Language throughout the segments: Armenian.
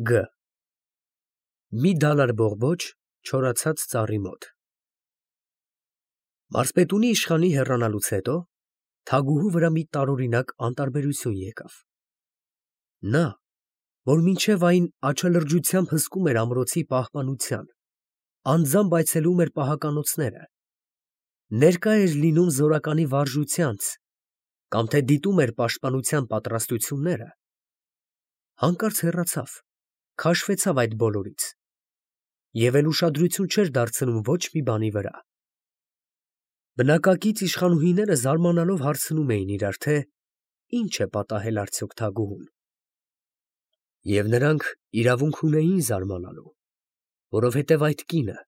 Գ. Մի դալար բողբոջ չորացած ծառի մոտ։ Մարզպետունի իշխանի հեռանալուց հետո թագուհու վրա մի տարօրինակ անտարբերություն եկավ. նա, որ մինչև այն աչալրջությամբ հսկում էր ամրոցի պահպանության, անձամբ այցելում էր պահականոցները, ներկա էր լինում զորականի վարժությանց կամ թե դիտում էր պաշտպանության պատրաստությունները, հանկարծ հեռացավ, քաշվեցավ այդ բոլորից և էլ ուշադրություն չէր դարձնում ոչ մի բանի վրա։ Բնակակից իշխանուհիները զարմանալով հարցնում էին իրար, թե ինչ է պատահել արդյոք թագուհուն։ Եվ նրանք իրավունք ունեին զարմանալու, որովհետև այդ կինը,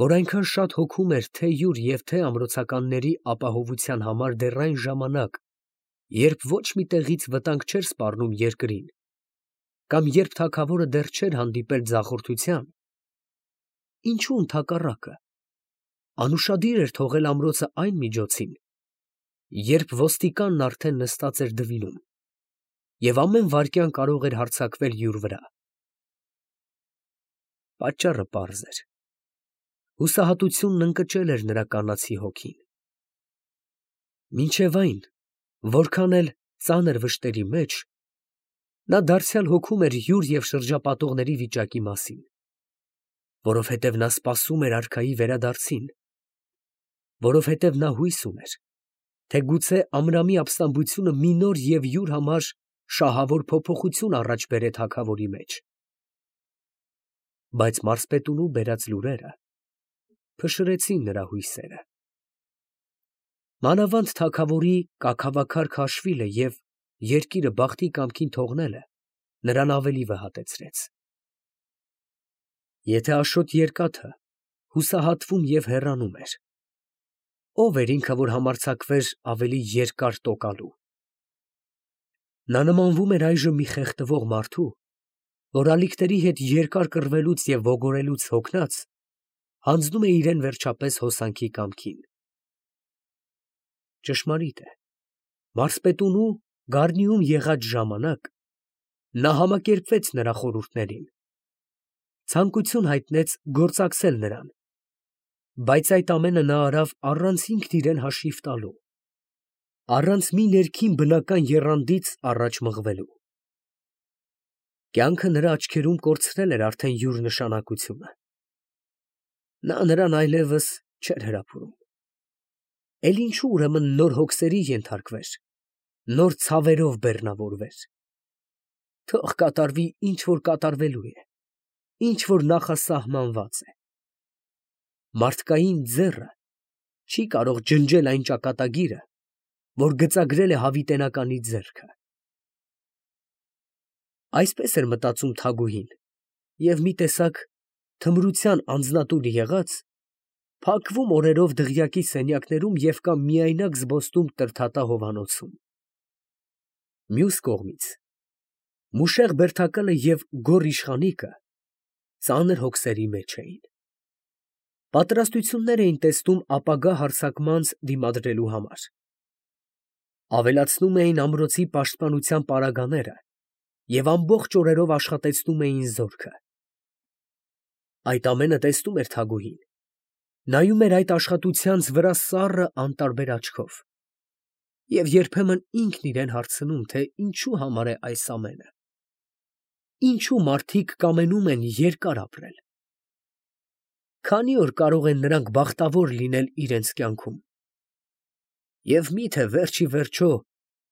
որ այնքան շատ հոգում էր թե յուր և թե ամրոցականների ապահովության համար դեռ այն ժամանակ, երբ ոչ մի տեղից վտանգ չէր սպառնում երկրին, կամ երբ թագավորը դեռ չէր հանդիպել ձախորդության, ինչու ընդհակառակը, անուշադիր էր թողել ամրոցը այն միջոցին, երբ ոստիկանն արդեն նստած էր դվինում և ամեն վայրկյան կարող էր հարձակվել յուր վրա։ Պատճառը պարզ էր. հուսահատությունն ընկճել էր նրա կանացի հոգին։ Մինչև այն, որքան էլ ծանր վշտերի մեջ, նա դարձյալ հոգում էր յուր և շրջապատողների վիճակի մասին, որովհետև նա սպասում էր արքայի վերադարձին, որովհետև նա հույս ուներ, թե գուցե Ամրամի ապստամբությունը մի նոր և յուր համար շահավոր փոփոխություն առաջ բերե թագավորի մեջ։ Բայց մարզպետունու բերած լուրերը փշրեցին նրա հույսերը։ Մանավանդ թագավորի կաքավաքար քաշվիլը և երկիրը բախտի կամքին թողնելը նրան ավելի վհատեցրեց։ Եթե Աշոտ Երկաթը հուսահատվում և հեռանում էր, ո՞վ էր ինքը, որ համարձակվեր ավելի երկար տոկալու։ Նա նմանվում էր այժմ մի խեղդվող մարդու, որ ալիքների հետ երկար կռվելուց և ոգորելուց հոգնած, հանձնում է իրան վերջապես հոսանքի կամքին։ Ճշմարիտ է, մարզպետունու Գառնիում եղած ժամանակ նա համակերպվեց նրա խորհուրդներին, ցանկություն հայտնեց գործակցել նրան, բայց այդ ամենը նա արավ առանց ինքն իրան հաշիվ տալու, առանց մի ներքին բնական եռանդից առաջ մղվելու։ Կյանքը նրա աչքերում կորցրել էր արդեն յուր նշանակությունը։ Նա նրան այլևս չէր հրապուրում։ Էլ ինչու ուրեմն նոր հոգսերի ենթարկվեր, նոր ցավերով բեռնավորվեր։ Թող կատարվի, ինչ որ կատարվելու է, ինչ որ նախասահմանված է։ Մարդկային ձեռը չի կարող ջնջել այն ճակատագիրը, որ գծագրել է հավիտենականի ձեռքը։ Այսպես էր մտածում թագուհին և մի տեսակ թմրության անձնատուր եղած, փակվում օրերով դղյակի սենյակներում և կամ միայնակ զբոսնում Տրդատա հովանոցում։ Մյուս կողմից, մուշեղ բերդակալը և գոռ իշխանիկը ծանր հոգսերի մեջ էին։ Պատրաստություններ էին տեսնում ապագա հարձակմանց դիմադրելու համար։ Ավելացնում էին ամրոցի պաշտպանության պարագաները և ամբողջ օրերով աշխատեցնում էին զորքը։ Այդ ամենը տեսնում էր թագուհին, նայում էր այդ աշխատությանց վրա սառը անտարբեր աչքով և երբեմն ինքն իրան հարցնում, թե ինչու համար է այս ամենը, ինչու մարդիկ կամենում են երկար ապրել, քանի օր կարող են նրանք բախտավոր լինել իրենց կյանքում, և մի՞թե վերջիվերջո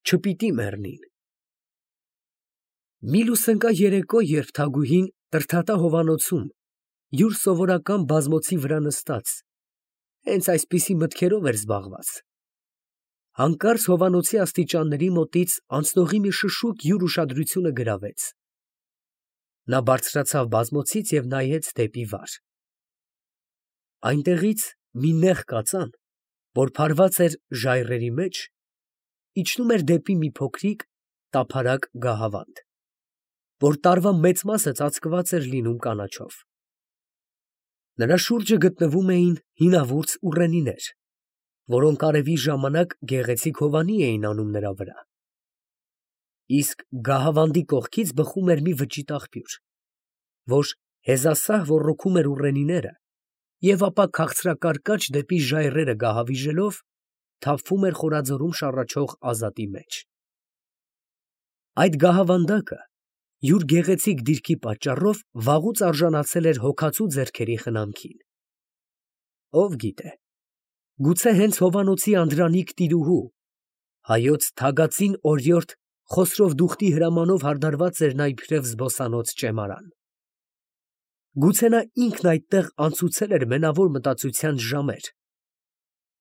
չպիտի մեռնին։ Մի լուսնկա երեկո, երբ թագուհին Տրդատա հովանոցում յուր սովորական բազմոցի վրա նստած, հենց այսպիսի մտքերով էր զբաղված, հանկարծ հովանոցի աստիճանների մոտից անցնողի մի շշուկ յուր ուշադրությունը գրավեց։ Նա բարձրացավ բազմոցից և նայեց դեպի վար։ Այնտեղից մի նեղ կածան, որ փարված էր ժայռերի մեջ, իջնում էր դեպի մի փոքրիկ տափարակ գահավանդ, որ տարվա մեծ մասը ծածկված էր լինում կանաչով։ Նրա շուրջը գտնվում էին հինավուրց ուռենիներ, որոնք արևի ժամանակ գեղեցիկ հովանի էին անում նրա վրա, իսկ գահավանդի կողքից բխում էր մի վճիտ աղբյուր, որ հեզասահ ոռոգում էր ուռենիները և ապա քաղցրակարկաչ դեպի ժայռերը գահավիժելով թափվում էր խորաձորում շառաչող ազատի մեջ։ Այդ գահավանդակը յուր գեղեցիկ դիրքի պատճառով վաղուց արժանացել էր հոգացու ձեռքերի խնամքին։ Ով գիտե, գուցե հենց Հովանոցի անդրանիկ տիրուհու, հայոց թագածին օրիորդ Խոսրով-Դուխտի հրամանով հարդարված էր նա իբրև զբոսանոց ճեմարան։ Գուցե նա ինքն այդտեղ անցուցել էր մենավոր մտածության ժամեր,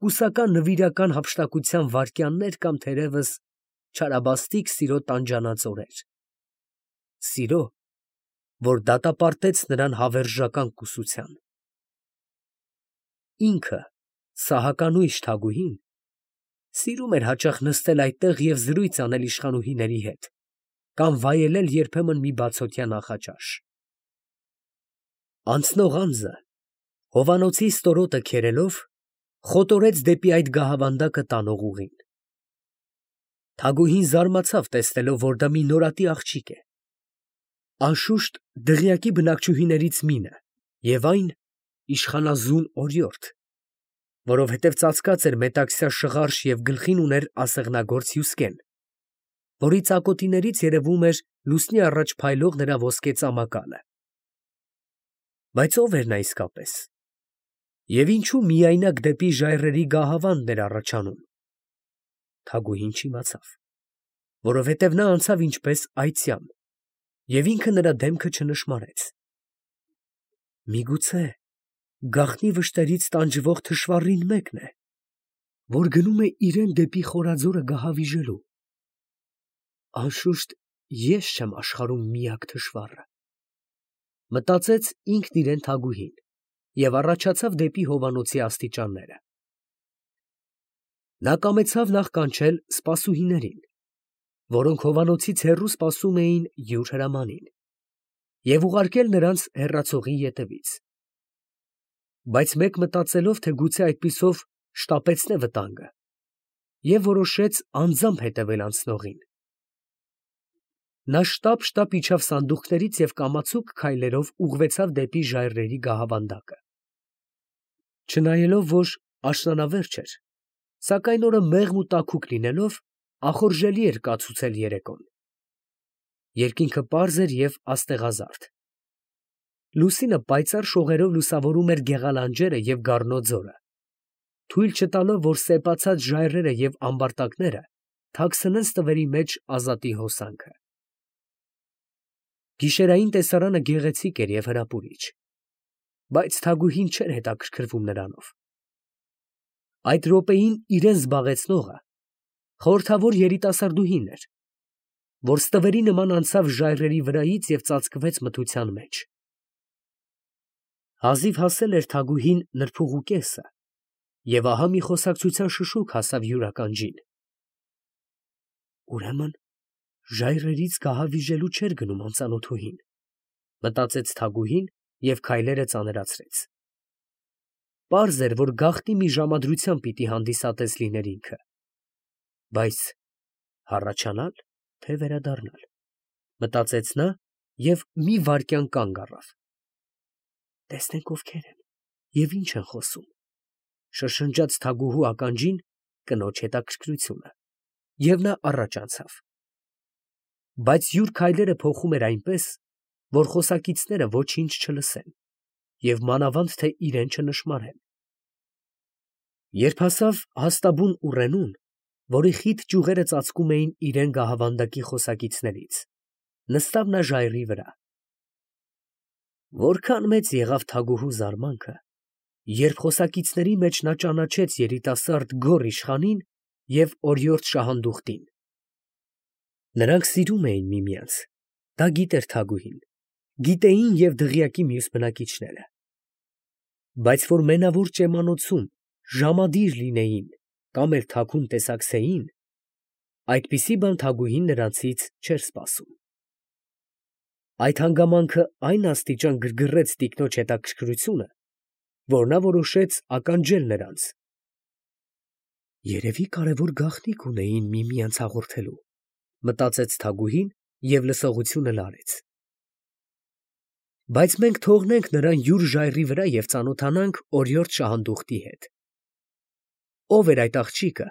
կուսական նվիրական հափշտակության վայրկյաններ կամ թերևս չարաբաստիկ սիրո տանջանած օրեր։ Սիրո, որ դատապարտեց նրան հավերժական կուսության։ Ինքը, սահականույժ Թագուհին, սիրում էր հաճախ նստել այդտեղ և զրույց անել իշխանուհիների հետ կամ վայելել երբեմն մի բացօթյա նախաճաշ։ Անցնող անձը, Հովանոցի ստորոտը քերելով, խոտորեց դեպի այդ գահավանդակը տանող ուղին։ Թագուհին զարմացավ տեսնելով, որ դա մի նորատի աղջիկ է։ Անշուշտ դղյակի բնակչուհիներից մինը և այն իշխանազուն օրիորդ, որովհետև ծածկած էր մետաքսյա շղարշ և գլխին ուներ ասեղնագործ հյուսկեն, որի ծակոտիներից երևում էր լուսնի առաջ փայլող նրա ոսկե ծամակալը։ Բայց ո՞վ էր նա իսկապես, և ինչու միայնակ դեպի ժայռերի գահավանդն էր առաջանում։ Թագուհին չիմացավ, որովհետև նա անցավ ինչպես այծյամ, և ինքը նրա դեմքը չնշմարեց։ Միգուցե գաղտնի վշտերից տանջվող թշվառին մեկն է, որ գնում է իրեն դեպի խորաձորը գահավիժելու։ Անշուշտ ես չեմ աշխարհում միակ թշվառը, մտածեց ինքն իրեն Թագուհին և առաջացավ դեպի Հովանոցի աստիճանները։ Նա կամեցավ նախ կանչել սպասուհիներին, որոնք Հովանոցից հեռու սպասում էին յուր հրամանին, և ուղարկել նրանց հեռացողի ետևից։ Բայց մեկ մտածելով, թե գուցե այդպիսով շտապեցնե վտանգը, և որոշեց անձամբ հետևել անցնողին։ Նա շտապ իջավ սանդուղքներից և կամացուկ քայլերով ուղղվեցավ դեպի ժայռերի գահավանդակը։ Չնայելով, որ աշնանավերջ էր, սակայն օրը մեղմ ու տաքուկ լինելով, ախորժելի էր կացուցել երեկոն։ Երկինքը պարզ էր և աստեղազարդ։ Լուսինը պայծառ շողերով լուսավորում էր գեղալանջերը և Գառնո ձորը, թույլ չտալով, որ սեպացած ժայռերը և ամբարտակները թաքցնեն ստվերի մեջ ազատի հոսանքը։ Գիշերային տեսարանը գեղեցիկ էր և հրապուրիչ, բայց Թագուհին չէր հետաքրքրվում նրանով։ Այդ րոպեին իրան զբաղեցնողը խորհրդավոր երիտասարդուհին էր, որ ստվերի նման անցավ ժայռերի վրայից և ծածկվեց մթության մեջ։ Հազիվ հասել էր Թագուհին նրբուղու կեսը, և ահա մի խոսակցության շշուկ հասավ յուր ականջին։ Ուրեմն ժայռերից գահավիժելու չէր գնում անծանոթուհին, մտածեց Թագուհին և քայլերը ծանրացրեց։ Պարզ էր, որ գաղտնի մի ժամադրության պիտի հանդիսատես լիներ ինքը, բայց հառաչանա՞լ, թե վերադառնալ, մտածեց նա և մի վայրկյան կանգ առավ։ Տեսնենք ովքեր են և ինչ են խոսում, շշնջաց Թագուհու ականջին կնոջ հետաքրքրությունը, և նա առաջ անցավ։ Բայց յուր քայլերը փոխում էր այնպես, որ խոսակիցները ոչինչ չլսեն և մանավանդ թե իրան չնշմարեն։ Երբ հասավ հաստաբուն ուռենուն, որի խիտ ճյուղերը ծածկում էին իրան գահավանդակի խոսակիցներից, նստավ նա ժայռի վրա։ Որքան մեծ եղավ Թագուհու զարմանքը, երբ խոսակիցների մեջ նա ճանաչեց երիտասարդ գոռ իշխանին և օրիորդ Շահանդուխտին։ Նրանք սիրում էին միմյանց, դա գիտեր Թագուհին, գիտեին և դղյակի մյուս բնակիչները։ Բայց որ մենավոր ճեմանոցում ժամադիր լինեին կամ էլ թաքուն տեսակցեին, այդպիսի բան Թագուհին նրանցից չէր սպասում։ Այդ հանգամանքը այն աստիճան գրգռեց տիկնոջ հետաքրքրությունը, որ նա որոշեց ականջել նրանց։ Երևի կարևոր գաղտնիք ունեին միմյանց հաղորդելու, մտածեց Թագուհին և լսողությունը լարեց։ Բայց մենք թողնենք նրան յուր ժայռի վրա և ծանոթանանք օրիորդ շահանդուխտի հետ։ Ո՞վ էր այդ աղջիկը,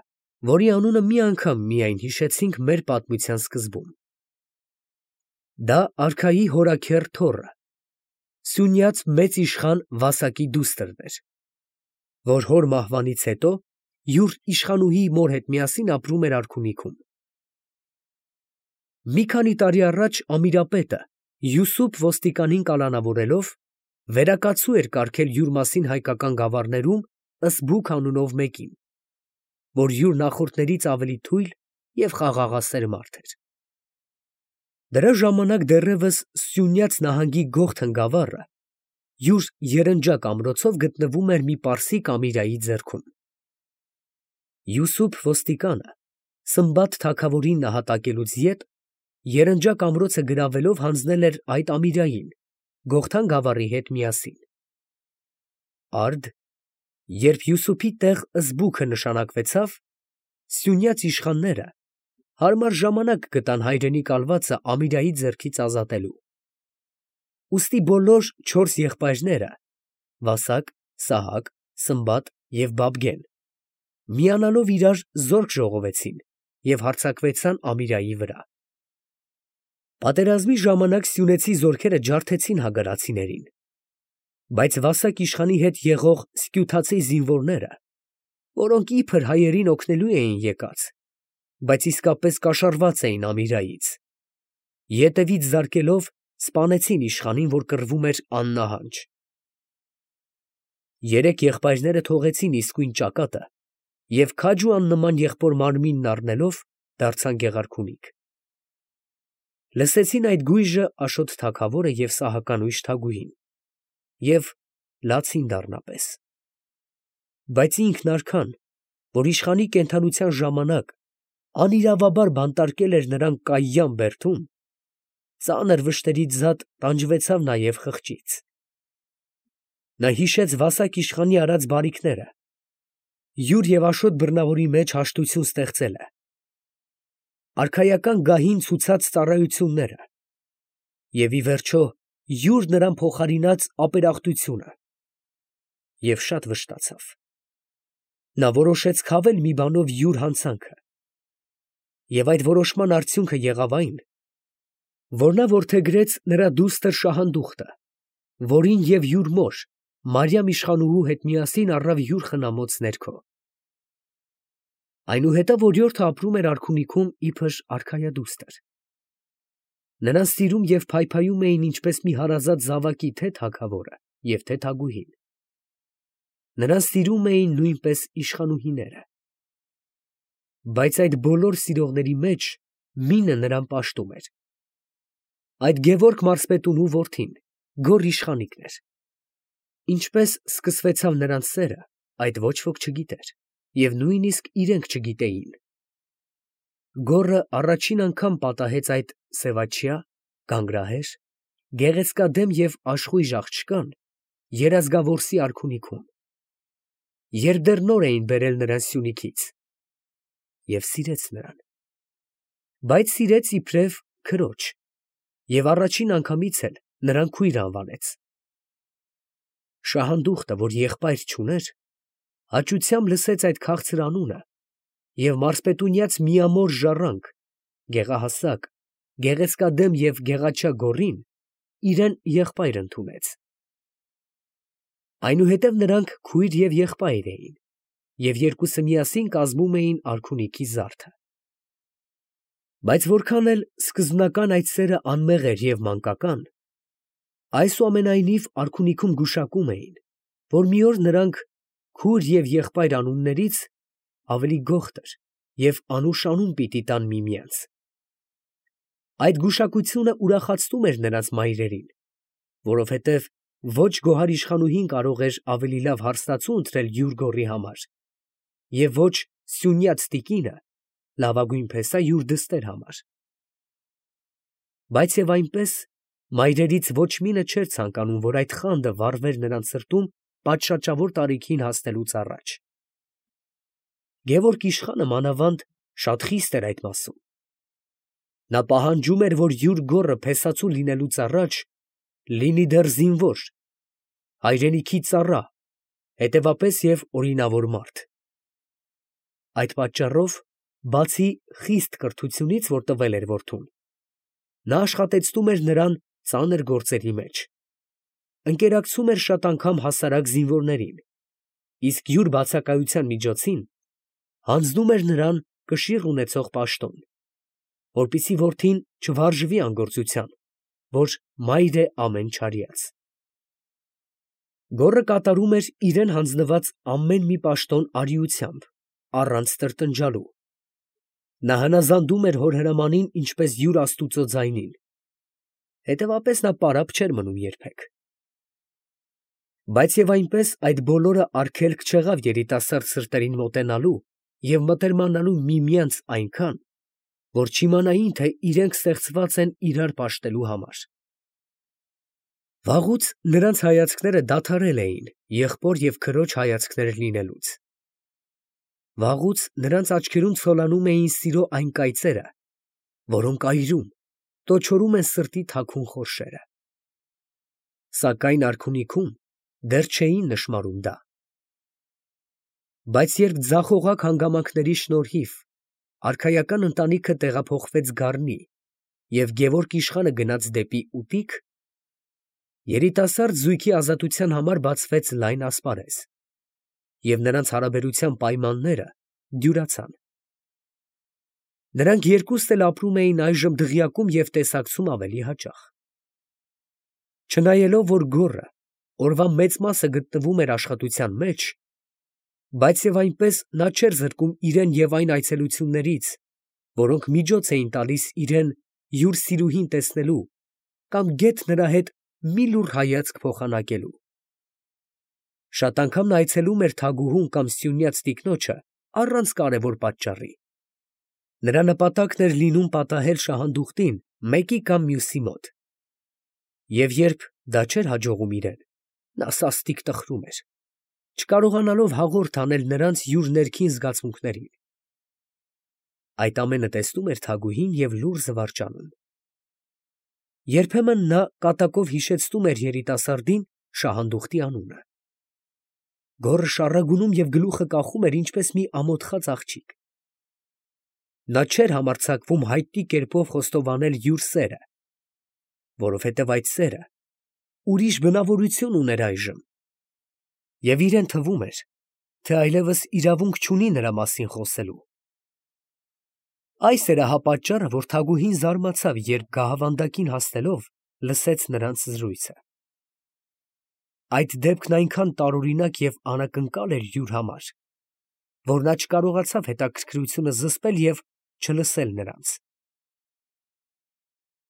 որի անունը մի անգամ միայն հիշեցինք մեր պատմության սկզբում։ Դա արքայի հորաքեռ Թոռը, Սյունյաց մեծ իշխան Վասակի դուստրն էր, որ հոր մահվանից հետո յուր իշխանուհի մոր հետ միասին ապրում էր արքունիքում։ Մի քանի տարի առաջ Ամիրապետը Յուսուփ ոստիկանին կալանավորելով վերակացու էր կարգել յուր մասին հայկական գավառներում Ըսբուք անունով մեկին, որ յուր նախորդներից ավելի թույլ և խաղաղասեր մարդ էր։ Դրա ժամանակ դեռևս Սյունյաց նահանգի Գողթն գավառը յուր Երնջակ ամրոցով գտնվում էր մի պարսիկ Ամիրայի ձեռքում։ Յուսուփ ոստիկանը Սմբատ թագավորին նահատակելուց յետ Երնջակ ամրոցը գրավելով հանձնել էր այդ Ամիրային Գողթան գավառի հետ միասին։ Արդ, երբ Յուսուփի տեղ Ըսբուքը նշանակվեցավ, Սյունյաց իշխանները հարմար ժամանակ գտան հայրենի կալվածը Ամիրայի ձեռքից ազատելու։ Ուստի բոլոր 4 եղբայրները՝ Վասակ, Սահակ, Սմբատ և Բաբգեն, միանալով իրար զորք ժողովեցին և հարձակվեցան Ամիրայի վրա։ Պատերազմի ժամանակ սյունեցի զորքերը ջարդեցին հագարացիներին, բայց Վասակ իշխանի հետ եղող սկյութացի զինվորները, որոնք իբր հայերին օգնելու էին եկած, բայց իսկապես կաշառված էին Ամիրայից, ետևից զարկելով սպանեցին իշխանին, որ կռվում էր աննահանջ։ 3 եղբայրները թողեցին իսկույն ճակատը և քաջ ու աննման եղբոր մարմինն առնելով դարձան Գեղարքունիք։ Լսեցին այդ գույժը Աշոտ թագավորը և Սահականույշ Թագուհին և լացին դառնապես։ Բայց ինքն արքան, որ իշխանի կենդանության ժամանակ անիրավաբար բանտարկել էր նրան Կայյան բերդում, ծանր վշտերից զատ տանջվեցավ նաև խղճից։ Նա հիշեց Վասակ իշխանի արած բարիքները, յուր և Աշոտ բռնավորի մեջ հաշտություն ստեղծելը, արքայական գահին ցուցած ծառայությունները և ի վերջո յուր նրան փոխարինած ապերախտությունը և շատ վշտացավ։ Նա որոշեց քավել մի բանով յուր հանցանքը և այդ որոշման արդյունքը եղավ այն, որ նա որդեգրեց նրա դուստր Շահանդուխտը, որին և յուր մոր Մարիամ իշխանուհու հետ միասին առավ յուր խնամոց ներքո։ Այնուհետև օրիորդը ապրում էր արքունիքում իբր արքայադուստր։ Նրան սիրում և փայփայում էին ինչպես մի հարազատ զավակի թե թագավորը և թե Թագուհին։ Նրան սիրում էին նույնպես իշխանուհիները։ Բայց այդ բոլոր սիրողների մեջ մինը նրան պաշտում էր։ Այդ Գևորգ մարզպետունու որդին Գոռ իշխանիկն էր։ Ինչպես սկսվեցավ նրանց սերը, այդ ոչ ոք չգիտեր և նույնիսկ իրենք չգիտեին։ Գոռը առաջին անգամ պատահեց այդ սևաչյա, գանգրահեր, գեղեցկադեմ և աշխույժ աղջկան Երազգավորսի արքունիքում, երբ դեռ նոր էին բերել նրան Սյունիքից, և սիրեց նրան, բայց սիրեց իբրև քրոջ և առաջին անգամից էլ նրան քույր անվանեց։ Շահանդուխտը, որ եղբայր չուներ, հաճությամբ լսեց այդ քաղցր անունը և մարզպետունյաց միամոր ժառանգ, գեղահասակ, գեղեցկադեմ և գեղաչյա Գոռին իրեն եղբայր ընդունեց։ Այնուհետև նրանք քույր և եղբայր էին և երկուսը միասին կազմում էին արքունիքի զարդը։ Բայց որքան էլ սկզբնական այդ սերը անմեղ էր և մանկական, այսուամենայնիվ արքունիքում գուշակում էին, որ մի օր նրանք քույր և եղբայր անուններից ավելի գողտր և անուշ անուն պիտի տան միմյանց։ Այդ գուշակությունը ուրախացնում էր նրանց մայրերին, որովհետև ոչ գոհար իշխանուհին կարող էր ավելի լավ հարստացու ընտրել յուր գոռի համար և ոչ սյունյաց տիկինը լավագույն փեսա յուր դստեր համար։ Բայց և այնպես մայրերից ոչ մինը չէր ցանկանում, որ այդ խանդը վառվեր նրանց սրտում պատշաճավոր տարիքին հասնելուց առաջ։ Գևորգ իշխանը մանավանդ շատ խիստ էր այդ մասում։ Նա պահանջում էր, որ յուր գոռը փեսացու լինելուց առաջ լինի դեռ զինվոր, հայրենիքի ծառա, հետևապես և օրինավոր մարդ։ Այդ պատճառով, բացի խիստ կրթությունից, որ տվել էր որդուն, նա աշխատեցնում էր նրան ծանր գործերի մեջ, ընկերակցում էր շատ անգամ հասարակ զինվորներին, իսկ յուր բացակայության միջոցին հանձնում էր նրան կշիռ ունեցող պաշտոն, որպեսզի որդին չվարժվի անգործության, որ մայր է ամեն չարյաց։ Գոռը կատարում էր իրան հանձնված ամեն մի պաշտոն արիությամբ, առանց տրտնջալու։ Նա հնազանդում էր հոր հրամանին ինչպես յուր աստուծո ձայնին, հետևապես նա պարապ չէր մնում երբեք։ Բայց և այնպես այդ բոլորը արգելք չեղավ երիտասարդ սրտերին մոտենալու և մտերմանալու միմյանց այնքան, որ չիմանային, թե իրենք ստեղծված են իրար պաշտելու համար։ Վաղուց նրանց հայացքները դադարել էին եղբոր և քրոջ հայացքներ լինելուց։ Վաղուց նրանց աչքերում ցոլանում էին սիրո այն կայծերը, որոնք այրում, տոչորում են սրտի թաքուն խորշերը։ Սակայն արքունիքում դեռ չէին նշմարում դա։ Բայց երբ ձախողակ հանգամանքների շնորհիվ արքայական ընտանիքը տեղափոխվեց Գառնի և Գևորգ իշխանը գնաց դեպի Ուտիկ, երիտասարդ զույգի ազատության համար բացվեց լայն ասպարեզ, և նրանց հարաբերության պայմանները դյուրացան։ Նրանք երկուստ էլ ապրում էին այժմ դղյակում և տեսակցում ավելի հաճախ։ Չնայելով, որ գոռը օրվա մեծ մասը գտնվում էր աշխատության մեջ, բայց և այնպես նա չէր զրկում իրան և այն այցելություններից, որոնք միջոց էին տալիս իրան յուր սիրուհին տեսնելու կամ գեթ նրա հետ մի լուռ հայացք փոխանակելու։ Շատ անգամ նա այցելում էր թագուհուն կամ սյունյաց տիկնոջը առանց կարևոր պատճառի։ Նրա նպատակն էր լինում պատահել շահանդուխտին մեկի կամ մյուսի մոտ։ Եվ երբ դա չէր հաջողում իրան, նա սաստիկ տխրում էր, չկարողանալով հաղորդ անել նրանց յուր ներքին զգացմունքներին։ Այդ ամենը տեսնում էր թագուհին և լուռ զվարճանում։ Երբեմն նա կատակով հիշեցնում էր երիտասարդին շահանդուխտի անունը։ Գոռը շառագունում և գլուխը կախում էր ինչպես մի ամոթխած աղջիկ։ Նա չէր համարձակվում հայտնի կերպով խոստովանել յուր սերը, որովհետև այդ սերը ուրիշ բնավորություն ուներ այժմ, և իրան թվում էր, թե այլևս իրավունք չունի նրա մասին խոսելու։ Այս էր ահա պատճառը, որ թագուհին զարմացավ, երբ գահավանդակին հասնելով լսեց նրանց զրույցը։ Այդ դեպքն այնքան տարօրինակ և անակնկալ էր յուր համար, որ նա չկարողացավ հետաքրքրությունը զսպել և չլսել նրանց։